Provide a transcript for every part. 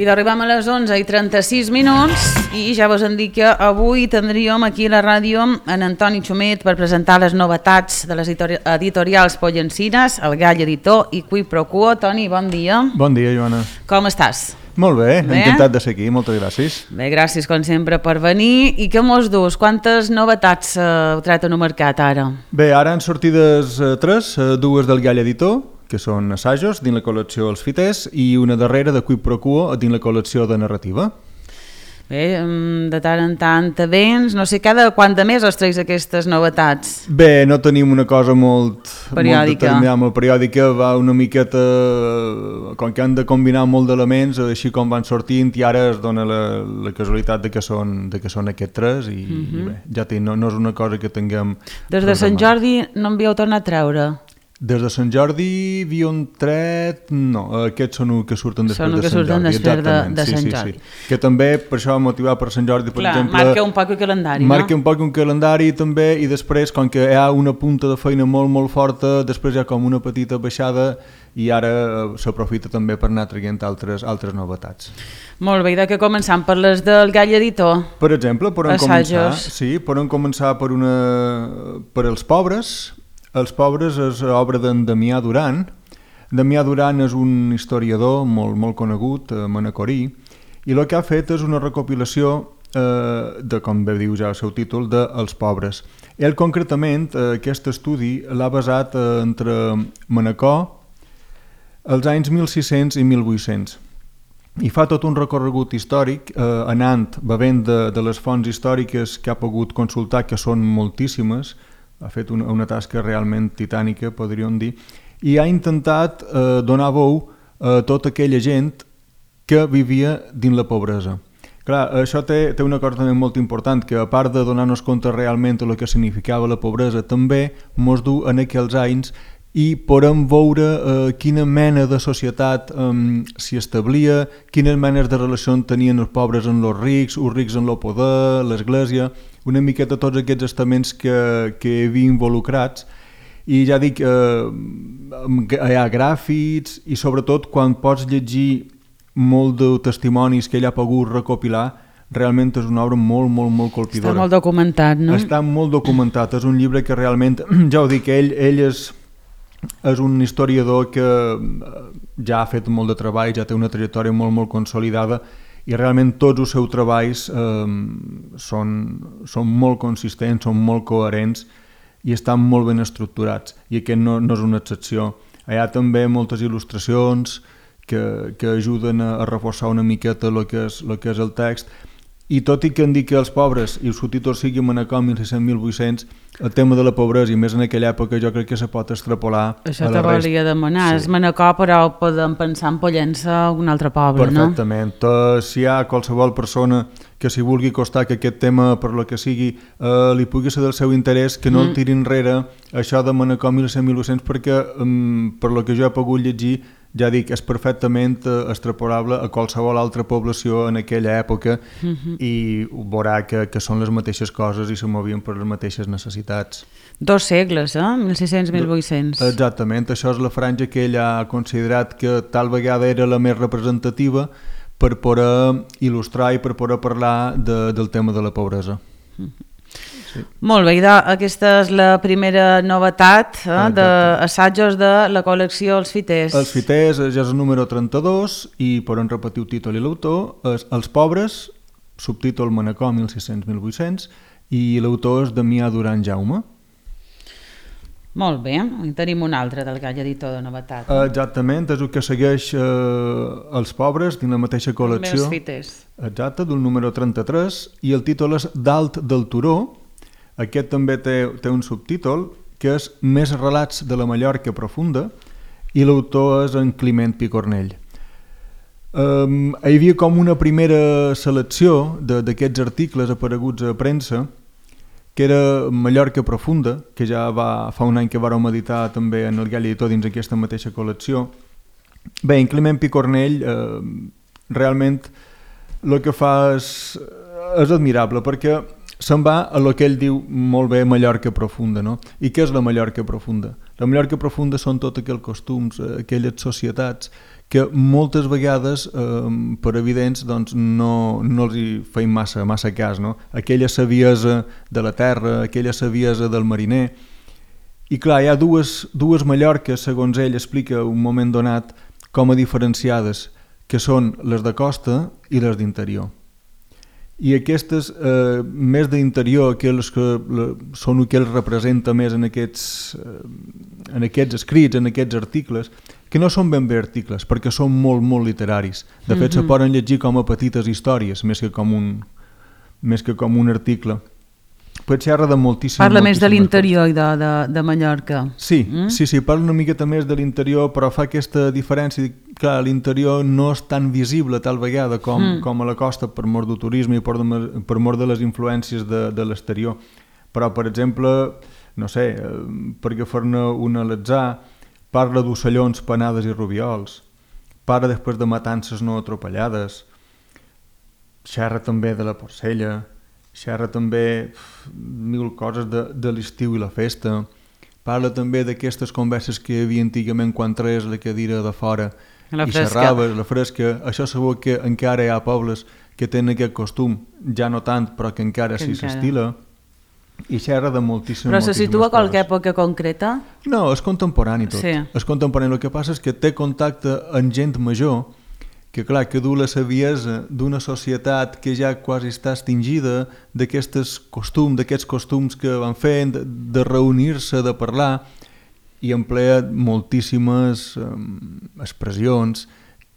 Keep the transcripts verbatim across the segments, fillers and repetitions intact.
I arribem a les onze i trenta-sis minuts i ja vos hem dit que avui tindríem aquí a la ràdio en Antoni Xumet per presentar les novetats de les editorials Pollencines, El Gall Editor i Qui Pro Quo. Toni, bon dia. Bon dia, Joana. Com estàs? Molt bé, bé, encantat de ser aquí, moltes gràcies. Bé, gràcies com sempre per venir. I què mos dus? Quantes novetats eh, heu tret en el mercat ara? Bé, ara han sortides eh, tres, eh, dues del Gall Editor, que són assajos dins la col·lecció Els Fiters, i una darrera de Qui Pro Quo dins la col·lecció de narrativa. Bé, de tant en tant vens, no sé, cada quant de més us treus aquestes novetats? Bé, no tenim una cosa molt periòdica, molt, molt periòdica, va una miqueta, com que han de combinar molt d'elements, així com van sortint, i ara es dona la, la casualitat de que són, de que són aquests tres, i, uh-huh. i bé, ja té, no, no és una cosa que tinguem... Des de Sant Jordi no en havíeu tornat a treure? Des de Sant Jordi havíem tret... No, aquests són els que surten després són de Sant Jordi. Són els que surten després de, de sí, Sant sí, Jordi. Sí, sí. Que també, per això motivat per Sant Jordi, per Clar, exemple... marca un poc el calendari, marca no? un poc un calendari també, i després, com que hi ha una punta de feina molt, molt forta, després hi ha com una petita baixada i ara s'aprofita també per anar traient altres, altres novetats. Molt bé, i de què començam? Per les del Gall Editor? Per exemple, podem començar, Assajos. sí, podem començar per, una, per Els Pobres. Els Pobres és obra d'en Damià Duran. Damià Duran és un historiador molt, molt conegut, eh, manacorí, i el que ha fet és una recopilació, eh, de, com bé diu ja el seu títol, de Els Pobres. Ell concretament, eh, aquest estudi l'ha basat eh, entre Manacor, els anys mil sis-cents i mil vuit-cents. I fa tot un recorregut històric, eh, anant, bevent de, de les fonts històriques que ha pogut consultar, que són moltíssimes. Ha fet una, una tasca realment titànica, podríem dir, i ha intentat eh, donar veu a tota aquella gent que vivia dins la pobresa. Clar, això té, té una cosa també molt important, que a part de donar-nos compte realment el que significava la pobresa, també mos du en aquells anys i podem veure eh, quina mena de societat eh, s'hi establia, quines menes de relació tenien els pobres amb els rics, els rics amb el poder, l'església, una miqueta tots aquests estaments que, que hi havia involucrats. I ja dic, eh, hi ha gràfics i sobretot quan pots llegir molt de testimonis que ell ha pogut recopilar, realment és una obra molt, molt, molt colpidora. Està molt documentat, no? Està molt documentat, és un llibre que realment, ja ho dic, ell, ell és, és un historiador que ja ha fet molt de treball, ja té una trajectòria molt, molt consolidada, i realment tots els seus treballs eh, són, són molt consistents, són molt coherents i estan molt ben estructurats, i aquest no, no és una excepció. Hi ha també moltes il·lustracions que, que ajuden a, a reforçar una miqueta el que és, el que és el text, i tot i que en dic que Els Pobres i el subtítol sigui Manacor mil sis-cents mil vuit-cents, el tema de la pobresa, i més en aquella època, jo crec que se pot extrapolar això a la te volia demanar, sí. És Manacor, però podem pensar en Pollença o un altre poble, perfectament. No? Perfectament. Si hi ha qualsevol persona que s'hi vulgui costar que aquest tema, per lo que sigui, eh, li pugui ser del seu interès, que no mm. el tiri enrere això de Manacor mil sis-cents mil vuit-cents, perquè um, per lo que jo he pogut llegir, ja dic, és perfectament extrapolable a qualsevol altra població en aquella època, mm-hmm. i veurà que, que són les mateixes coses i se movien per les mateixes necessitats. Dos segles, eh? mil sis-cents mil vuit-cents. Exactament, això és la franja que ell ha considerat que tal vegada era la més representativa per poder il·lustrar i per poder parlar de, del tema de la pobresa. Mm-hmm. Sí. Molt bé, aquesta és la primera novetat eh, d'assajos de la col·lecció Els Fiters. Els Fiters ja és el número trenta-dos i podem repetir el títol i l'autor. És Els Pobres, subtítol Manacor mil sis-cents mil vuit-cents, i l'autor és Damià Duran Jaume. Molt bé, i tenim un altre del Gall Editor de novetat. Exactament, és el que segueix eh, Els Pobres dins la mateixa col·lecció. Els Fiters. Exacte, del número trenta-tres, i el títol és Dalt del turó. Aquest també té, té un subtítol que és Més relats de la Mallorca profunda, i l'autor és en Climent Picornell. Um, hi havia com una primera selecció d'aquests articles apareguts a premsa, que era Mallorca profunda, que ja va, fa un any que vàrem editar també en el Gall Editor dins aquesta mateixa col·lecció. Bé, en Climent Picornell eh, realment el que fa és, és admirable, perquè se'n va a lo que ell diu molt bé Mallorca profunda, no? I què és la Mallorca profunda? La Mallorca profunda són tots aquells costums, aquelles societats que moltes vegades, eh, per evidents, doncs no, no els hi feim massa, massa cas, no? Aquella saviesa de la terra, aquella saviesa del mariner. I clar, hi ha dues, dues Mallorques, segons ell explica un moment donat, com a diferenciades, que són les de costa i les d'interior. I aquestes, eh, més d'interior, aquelles que le, són el que els representa més en aquests, eh, en aquests escrits, en aquests articles, que no són ben bé articles, perquè són molt, molt literaris. De fet, mm-hmm. se poden llegir com a petites històries, més que com un, més que com un article. Però xerra de moltíssimes... Parla més de l'interior i de, de, de Mallorca. Sí, mm? sí, sí, parla una miqueta més de l'interior, però fa aquesta diferència. Clar, l'interior no és tan visible tal vegada com, mm. com a la costa per mort del turisme i per, de, per mort de les influències de, de l'exterior. Però, per exemple, no sé, per agafar-ne un a l'atzar, parla d'ocellons, panades i rubiols, parla després de matances no atropellades, xerra també de la porcella, xerra també mil coses de, de l'estiu i la festa, parla també d'aquestes converses que hi havia antigament quan traies la cadira de fora la i fresca. xerraves, la fresca. Això sabeu que encara hi ha pobles que tenen aquest costum, ja no tant, però que encara que s'hi s'estila, i xerra de moltíssimes Però se situa a qualque coses. època concreta? No, és contemporani tot. Sí. És contemporani. El que passa és que té contacte amb gent major que, clar, que du la saviesa d'una societat que ja quasi està extingida, d'aquests costums, d'aquests costums que van fent, de, de reunir-se, de parlar, i emplea moltíssimes um, expressions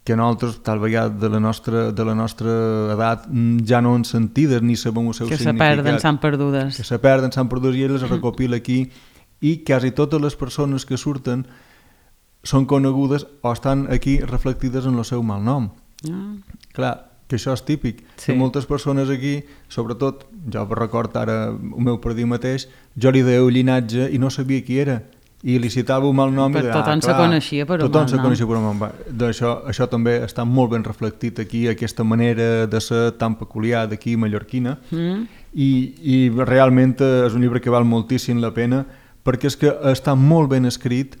que nosaltres, tal vegada de la nostra, de la nostra edat, ja no han sentides ni sabem el seu que significat. Que se perden, s'han perdudes. Que se perden, s'han perdudes, i ell les recopila aquí, i quasi totes les persones que surten són conegudes o estan aquí reflectides en el seu mal nom. Ah. Clar, que això és típic. Sí. Que moltes persones aquí, sobretot, jo recordo ara el meu predí mateix, jo li deia un llinatge i no sabia qui era. I li citava un mal nom per i deia, tothom ah, clar, se coneixia per un tothom mal se nom. coneixia per un mal nom. Això, això també està molt ben reflectit aquí, aquesta manera de ser tan peculiar d'aquí mallorquina. Mm. I, I realment és un llibre que val moltíssim la pena, perquè és que està molt ben escrit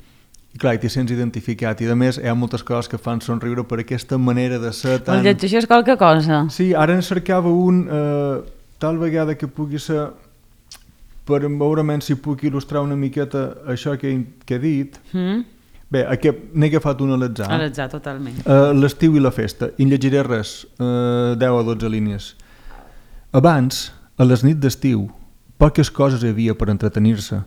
i clar, t'hi sents identificat, i a més hi ha moltes coses que fan somriure per aquesta manera de ser tan... El llegeixes qualque cosa? Sí, ara en cercava un eh, tal vegada que pugui ser, per veurement si puc il·lustrar una miqueta això que, que he dit. Mm. Bé, aquest, n'he agafat un a l'atzar. A l'atzar, totalment. Uh, l'estiu i la festa, i en llegiré res, uh, deu a dotze línies. Abans, a les nits d'estiu, poques coses hi havia per entretenir-se.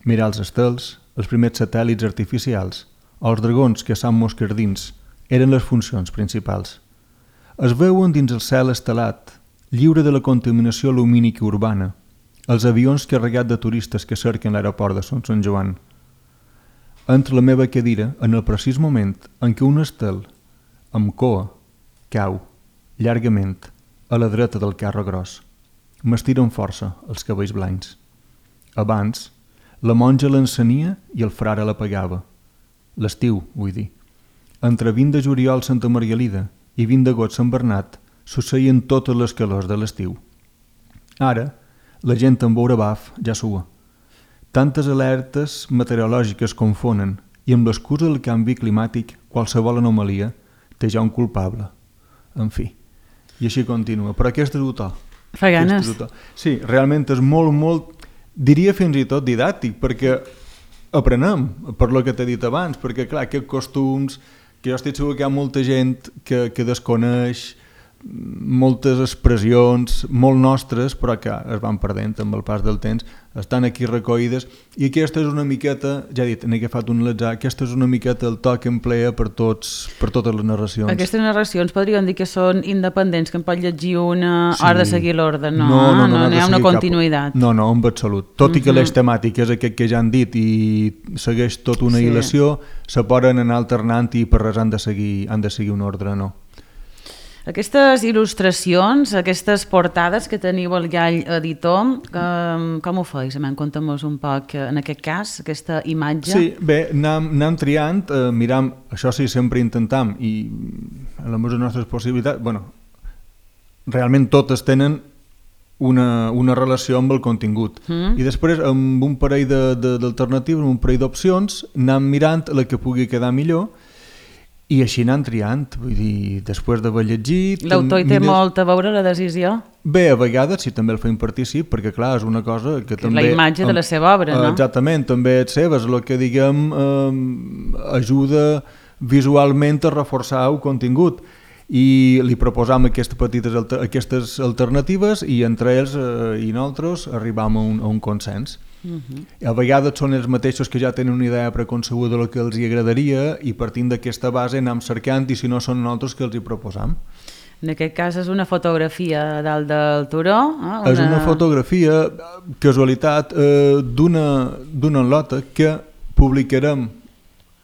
Mirar els estels, els primers satèl·lits artificials, o els dragons que s'han mosquerdins, eren les funcions principals. Es veuen dins el cel estelat, lliure de la contaminació lumínica urbana, els avions carregats de turistes que cerquen l'aeroport de Son Sant Joan. Entre la meva cadira, en el precís moment en què un estel, amb coa, cau, llargament, a la dreta del carro gros. M'estiren força els cabells blancs. Abans, la monja l'encenia i el frare l'apagava. L'estiu, vull dir. Entre vint de juliol Santa Margalida i vint d'agost Sant Bernat succeïen totes les calors de l'estiu. Ara, la gent amb veure baf ja sua. Tantes alertes meteorològiques confonen i amb l'excusa del canvi climàtic qualsevol anomalia té ja un culpable. En fi, i així continua. Però aquest és el to. Fa ganes. Sí, realment és molt, molt, diria fins i tot didàctic, perquè aprenem per lo que t'he dit abans, perquè clar, aquests costums, que jo estic segur que hi ha molta gent que, que desconeix, moltes expressions molt nostres, però que es van perdent amb el pas del temps, estan aquí recollides, i aquesta és una miqueta, ja he dit, n'he agafat un l'atzar, aquesta és una miqueta el to que emplea per, tots, per totes les narracions. Aquestes narracions podríem dir que són independents, que en pot llegir una sí. hora de seguir l'ordre, no? No, no, no, no, no hi ha una continuïtat. Cap... No, no, en absolut. Tot uh-huh. i que l'eix temàtic és aquest que ja han dit i segueix tot una sí. hilació, se poden anar alternant i per res han de seguir, han de seguir un ordre, no. Aquestes il·lustracions, aquestes portades que teniu al Gall Editor, com, com ho feis? Conta'm-nos un poc, en aquest cas, aquesta imatge. Sí, bé, anem, anem triant, eh, miram, això sí, sempre intentam, i a les nostres possibilitats, bueno, realment totes tenen una, una relació amb el contingut. Mm. I després, amb un parell d'alternatives, amb un parell d'opcions, anem mirant la que pugui quedar millor, I així anant triant, vull dir, després d'haver llegit... L'autor hi té mires... molt a veure la decisió? Bé, a vegades sí, també el feim partícip, perquè clar, és una cosa que, que també... La imatge de la seva obra, no? Exactament, també és seva, és el que, diguem, eh, ajuda visualment a reforçar el contingut. I li proposam aquestes petites alter, aquestes alternatives i entre ells eh, i nosaltres arribam a un, a un consens. Uh-huh. A vegades són els mateixos que ja tenen una idea preconcebuda del que els hi agradaria i partint d'aquesta base anem cercant i si no són nosaltres que els hi proposam. En aquest cas és una fotografia dalt del turó. Eh? Una... És una fotografia, casualitat, eh, d'una d'una lota que publicarem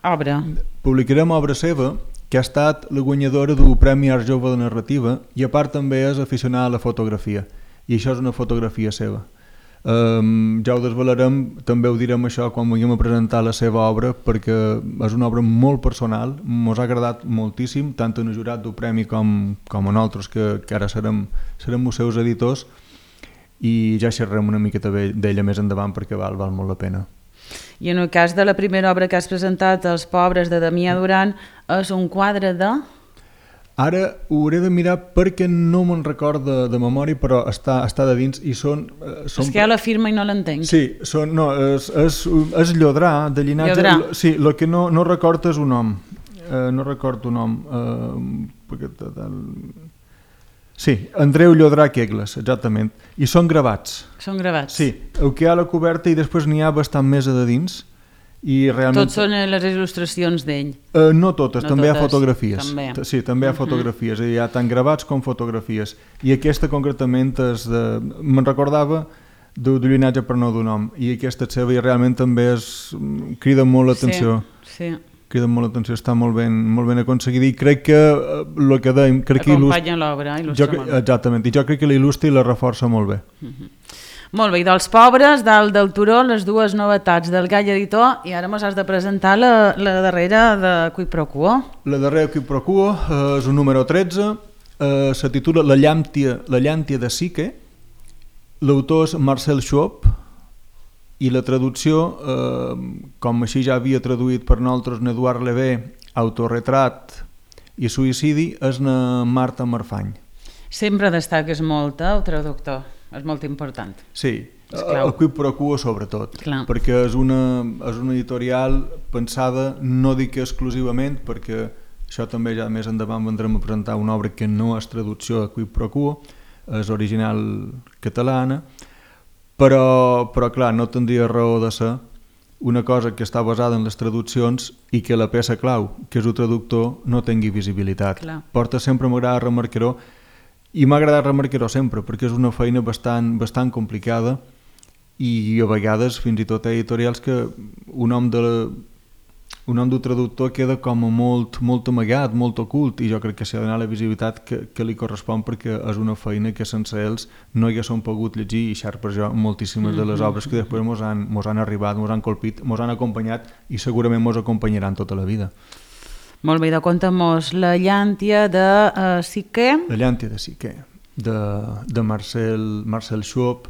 obra. Publicarem obra seva que ha estat la guanyadora del Premi Art Jove de Narrativa i a part també és aficionada a la fotografia i això és una fotografia seva. Um, ja ho desvelarem, també ho direm això quan vulguem a presentar la seva obra perquè és una obra molt personal, ens ha agradat moltíssim, tant en el jurat del premi com, com a nosaltres que, que ara serem, serem els seus editors i ja xerrem una miqueta d'ella més endavant perquè val, val molt la pena. I en el cas de la primera obra que has presentat, Els pobres de Damià Duran, és un quadre de... Ara ho hauré de mirar perquè no me'n record de, de memòria, però està, està de dins i són... Eh, són... És que hi ha la firma i no l'entenc. Sí, són, no, és, és, és Llodrà, de llinatge... Llodrà. Sí, el que no, no recordo és un nom. Eh, no recordo un nom. Eh, perquè, sí, Andreu Llodrà Quegles, exactament. I són gravats. Són gravats. Sí, el que hi ha a la coberta i després n'hi ha bastant més a de dins. I realment... Tots són les il·lustracions d'ell? Uh, no totes, no també totes. hi ha fotografies. També. Sí, també hi ha fotografies, uh -huh. hi ha tant gravats com fotografies. I aquesta concretament és de... me'n recordava d'un llinatge per no d'un nom, i aquesta és seva i realment també és... crida molt l'atenció. Sí, sí. Crida molt l'atenció, està molt ben, molt ben aconseguida i crec que el uh, que dèiem... Crec que acompanya il·lust... l'obra, il·lustra jo, molt bé. Exactament, i jo crec que l'il·lustra i la reforça molt bé. Uh -huh. Molt bé, i dels pobres, dalt del turó, les dues novetats del Gall Editor, i ara mos has de presentar la, la darrera de Quid Pro Quo. La darrera Quid Pro Quo eh, és un número tretze, eh, se titula La llàntia, la llàntia de Psique, l'autor és Marcel Schwab, i la traducció, eh, com així ja havia traduït per nosaltres Eduard Levé, Autorretrat i Suïcidi, és na Marta Marfany. Sempre destaques molt, eh, el traductor. És molt important. Sí, el Quid Pro Quo sobretot, clar. Perquè és una, és una editorial pensada, no dic exclusivament, perquè això també ja més endavant vendrem a presentar una obra que no és traducció de Quid Pro Quo, és original catalana, però, però clar, no tindria raó de ser una cosa que està basada en les traduccions i que la peça clau, que és el traductor, no tingui visibilitat. Clar. Porta sempre, m'agrada remarcar-ho, i m'ha agradat remarcar-ho sempre perquè és una feina bastant, bastant complicada i a vegades fins i tot editorials que un nom de un nom del traductor queda com a molt, molt amagat, molt ocult i jo crec que s'ha de donar la visibilitat que, que li correspon perquè és una feina que sense ells no haguéssim pogut llegir i xar per jo moltíssimes de les obres que després mos han, mos han arribat, mos han colpit, mos han acompanyat i segurament mos acompanyaran tota la vida. Molt bé, de conta'm-nos La llàntia de uh, Psique. La llàntia de Psique, de, de Marcel, Marcel Schwab.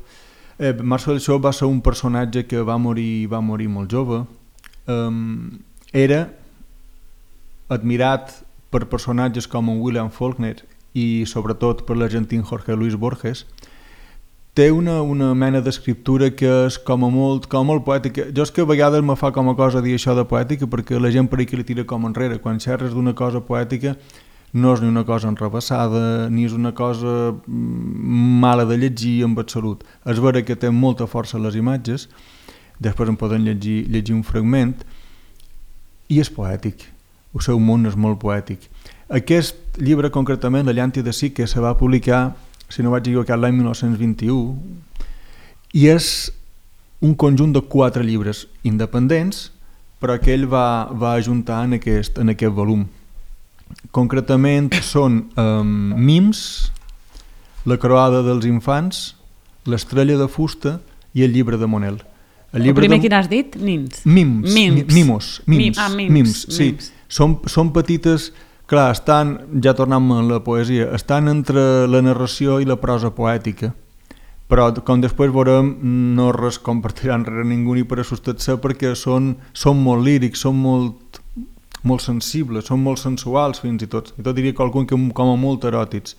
Eh, Marcel Schwab va ser un personatge que va morir, va morir molt jove. Um, era admirat per personatges com en William Faulkner i sobretot per l'argentí Jorge Luis Borges. Té una, una mena d'escriptura que és com a molt, com a molt poètica. Jo és que a vegades me fa com a cosa dir això de poètica perquè la gent per aquí li tira com enrere. Quan xerres d'una cosa poètica no és ni una cosa enrebaçada ni és una cosa mala de llegir en absolut. És vera que té molta força les imatges, després en poden llegir, llegir un fragment i és poètic. El seu món és molt poètic. Aquest llibre concretament, La llàntia de Psique, se va publicar, si no vaig equivocar, l'any mil nou-cents vint-i-u, i és un conjunt de quatre llibres independents, però que ell va, va ajuntar en aquest, en aquest volum. Concretament són um, Mims, La croada dels infants, L'estrella de fusta i El llibre de Monel. El, el primer de... quin has dit? Nims. Mims. Mims. Mimos. Mims. Ah, mims. Mims. Sí. Mims. Són, són petites... Clar, estan, ja tornem a la poesia, estan entre la narració i la prosa poètica, però com després veurem no res compartiran res ningú ni per assustar-se perquè són, són molt lírics, són molt, molt sensibles, són molt sensuals fins i tot, i tot diria qualcun que com a molt eròtics,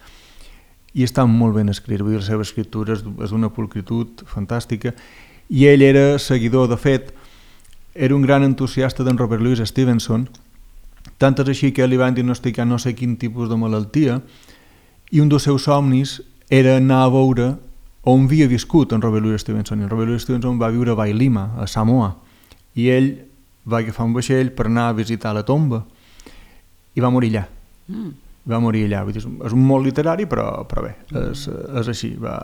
i estan molt ben escrits, vull dir, la seva escriptura és d'una pulcritud fantàstica, i ell era seguidor, de fet, era un gran entusiasta d'en Robert Louis Stevenson, tant és així que li van diagnosticar no sé quin tipus de malaltia, i un dels seus somnis era anar a veure on havia viscut en Robert Louis Stevenson, i en Robert Louis Stevenson va viure a Vailima, a Samoa, i ell va agafar un vaixell per anar a visitar la tomba i va morir allà. Mm. Va morir allà. Vull dir, és un molt literari, però, però bé, és, és així. Va...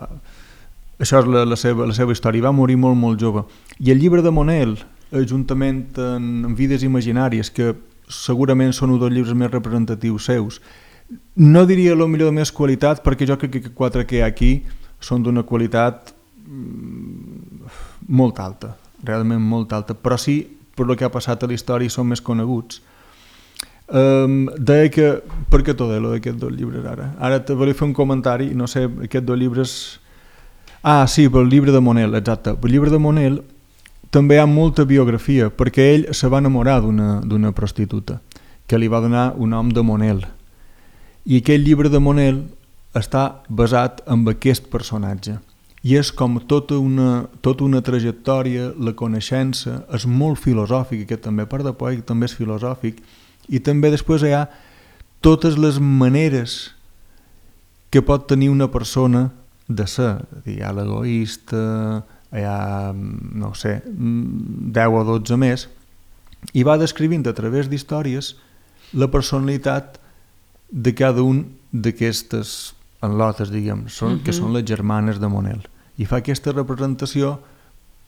Això és la, la, seva, la seva història. Va morir molt, molt jove. I el llibre de Monel, juntament amb Vides imaginàries, que segurament són un dels llibres més representatius seus, no diria el millor de més qualitat, perquè jo crec que quatre que hi ha aquí són d'una qualitat molt alta, realment molt alta, però sí, per el que ha passat a la història, són més coneguts. Um, deia que, per què t'ho deia d'aquests dos llibres ara? Ara te volia fer un comentari, no sé, aquests dos llibres... Ah, sí, pel llibre de Monel, exacte. Pel llibre de Monel també hi ha molta biografia, perquè ell se va enamorar d'una prostituta, que li va donar un nom de Monel. I aquest llibre de Monel està basat en aquest personatge. I és com tota una, tota una trajectòria, la coneixença, és molt filosòfic, que també a part de poètic també és filosòfic, i també després hi ha totes les maneres que pot tenir una persona de ser. Hi ha l'egoista, hi ha, no sé, deu o dotze més, i va descrivint a través d'històries la personalitat de cada un d'aquestes enlotes, diguem, són, uh-huh. que són les germanes de Monel. I fa aquesta representació,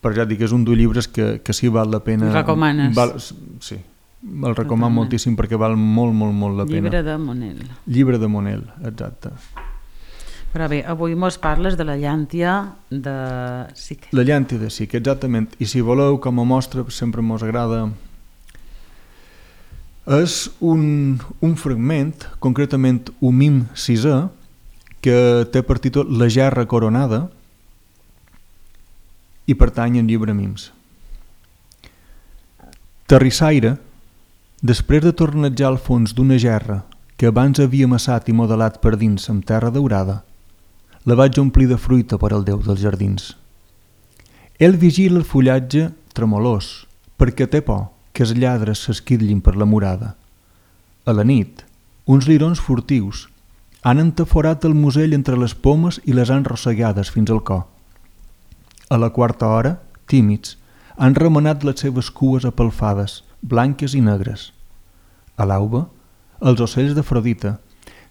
per ja dir que és un dels llibres que, que sí val la pena... Recomanes? Val, sí, el recomano moltíssim perquè val molt, molt, molt la pena. Llibre de Monel. Llibre de Monel, exacte. Però bé, avui mos parles de la llàntia de Sique. La llàntia de Sique, exactament. I si voleu, com a mostra, sempre mos agrada... És un, un fragment, concretament un mim sisè, que té per títol La gerra coronada, i pertany al llibre Mims. Terrissaire, després de tornejar al fons d'una gerra que abans havia amassat i modelat per dins amb terra daurada, la vaig omplir de fruita per al Déu dels jardins. Ell vigila el fullatge tremolós, perquè té por que els lladres s'esquitllin per la murada. A la nit, uns lirons furtius han entaforat el musell entre les pomes i les han rossegades fins al cor. A la quarta hora, tímids, han remenat les seves cues apelfades, blanques i negres. A l'auba, els ocells d'Afrodita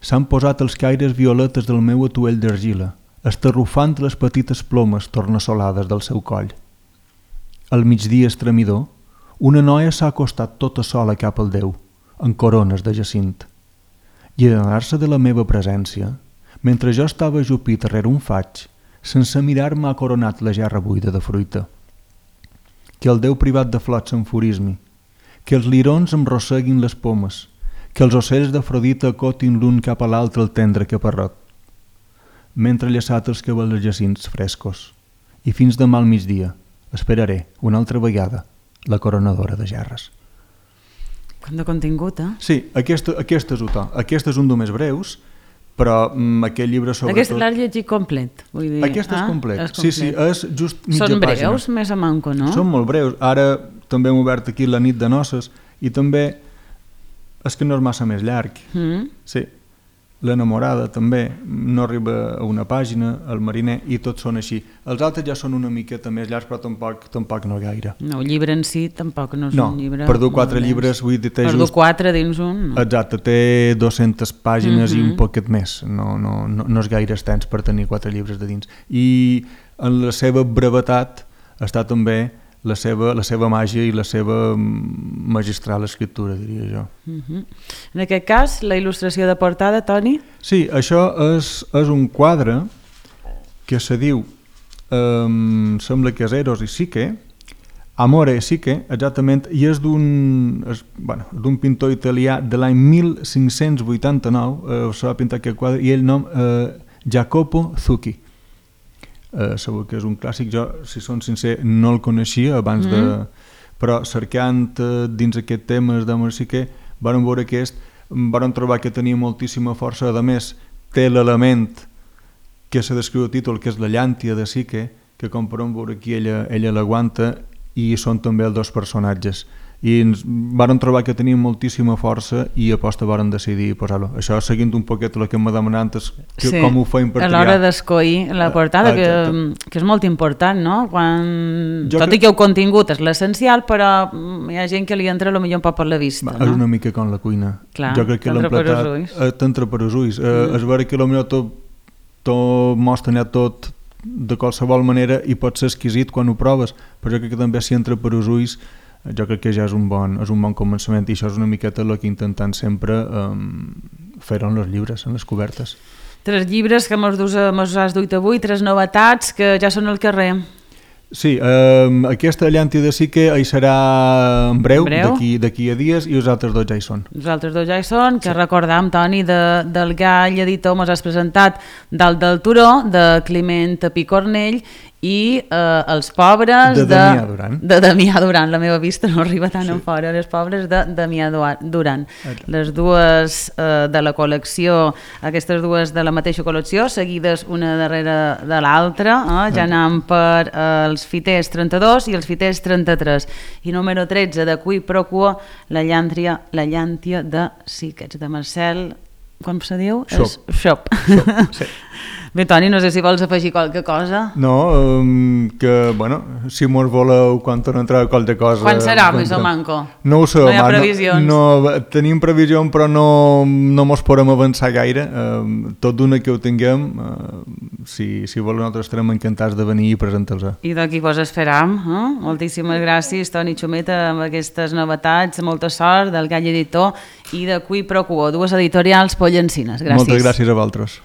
s'han posat els caires violetes del meu atuell d'argila, estarrufant les petites plomes tornassolades del seu coll. Al migdia estremidor, una noia s'ha acostat tota sola cap al Déu, en corones de jacint. I adonar-se de la meva presència, mentre jo estava ajupit darrere un faig, sense mirar-me ha coronat la gerra buida de fruita. Que el Déu privat de flors s'enfurismi, que els lirons em rosseguin les pomes, que els ocells d'Afrodita acotin l'un cap a l'altre el tendre caparrot, mentre llaçat els cabells jacints frescos, i fins demà al migdia esperaré una altra vegada la coronadora de gerres. Quant de contingut, eh? Sí, aquest, aquest és un aquest és un dels més breus, però mm, aquest llibre sobretot... Aquest l'has llegit complet, vull dir. Aquest és, ah, complet. és complet, sí, sí, és just mitja Són breus, pàgina. més a manco, no? Són molt breus. Ara també hem obert aquí La nit de noces i també és que no és massa més llarg. Mm. Sí, L'enamorada també no arriba a una pàgina, El mariner, i tots són així. Els altres ja són una miqueta més llargs, però tampoc, tampoc no gaire. No, el llibre en si tampoc no és no, un llibre... No, per dur quatre llibres... Vull dir, té per just... dur quatre dins un... No. Exacte, té dues-centes pàgines uh-huh. i un poquet més. No, no, no, no és gaire extens per tenir quatre llibres de dins. I en la seva brevetat està també la seva, la seva màgia i la seva magistral escriptura, diria jo. Uh-huh. En aquest cas, la il·lustració de portada, Toni? Sí, això és, és un quadre que se diu, um, sembla que és Eros i Sique, Amore e Sique, exactament, i és d'un bueno, d'un pintor italià de l'any mil cinc-cents vuitanta-nou, eh, s'ha pintat aquest quadre, i el nom eh, Jacopo Zucchi. Uh, segur que és un clàssic, jo si són sincer no el coneixia abans mm. de... però cercant uh, dins aquest tema d'Amor sí que Varen veure aquest, varen trobar que tenia moltíssima força, a més té l'element que se descriu el títol, que és la llàntia de Psique, que com podem veure aquí ella, ella l'aguanta, i són també els dos personatges. I ens varen trobar que tenien moltíssima força i aposta varen decidir posar-lo. Això seguint un poquet el que m'ha demanat antes, que sí, com ho feim per triar. A l'hora d'escollir la portada, que, que és molt important, no? Quan... Tot i que el contingut és l'essencial, però hi ha gent que li entra potser un poc per la vista. Va, no? És una mica com la cuina. Clar, jo crec que l'hem platat t'entra per els ulls. Mm. És vera que potser tot, tot mostra tot de qualsevol manera i pot ser exquisit quan ho proves, però jo crec que també si entra per els ulls jo crec que ja és un bon, és un bon començament, i això és una miqueta el que intentant sempre um, fer en els llibres, en les cobertes. Tres llibres que mos has duit avui, tres novetats que ja són al carrer. Sí, eh, aquesta llàntia de Psique hi serà en breu, breu? d'aquí a dies, i els altres dos ja hi són. Els altres dos ja hi són, que sí. Recordam, Toni, de, del Gall editor, mos has presentat Dalt del turó, de Climent Picornell, i eh, Els pobres de Damià Duran. De Damià Duran, la meva vista no arriba tan sí. en fora, Les pobres de Damià Duran. Okay. Les dues eh, de la col·lecció, aquestes dues de la mateixa col·lecció, seguides una darrere de l'altra, eh? Ja okay. anam per eh, els fiters trenta-dos i els fiters trenta-tres. I número tretze, de Qui pro quo, la llàntia, la llàntia de Psique, de Marcel, com se diu? Xop. Xop. Xop, sí. Bé, Toni, no sé si vols afegir qualque cosa. No, um, que, bueno, si mos voleu quan torna a entrar qualque cosa... Quan serà més o manco? No ho sé, no hi ha previsions. No, no, tenim previsió, però no, no mos podem avançar gaire. Uh, tot d'una que ho tinguem, uh, si, si voleu nosaltres estarem encantats de venir i presentar-los. I d'aquí vos esperam. Eh? Moltíssimes gràcies, Toni Xumeta, amb aquestes novetats. Molta sort del Gall editor i de Qui pro quo, dues editorials pollencines. Gràcies. Moltes gràcies a vosaltres.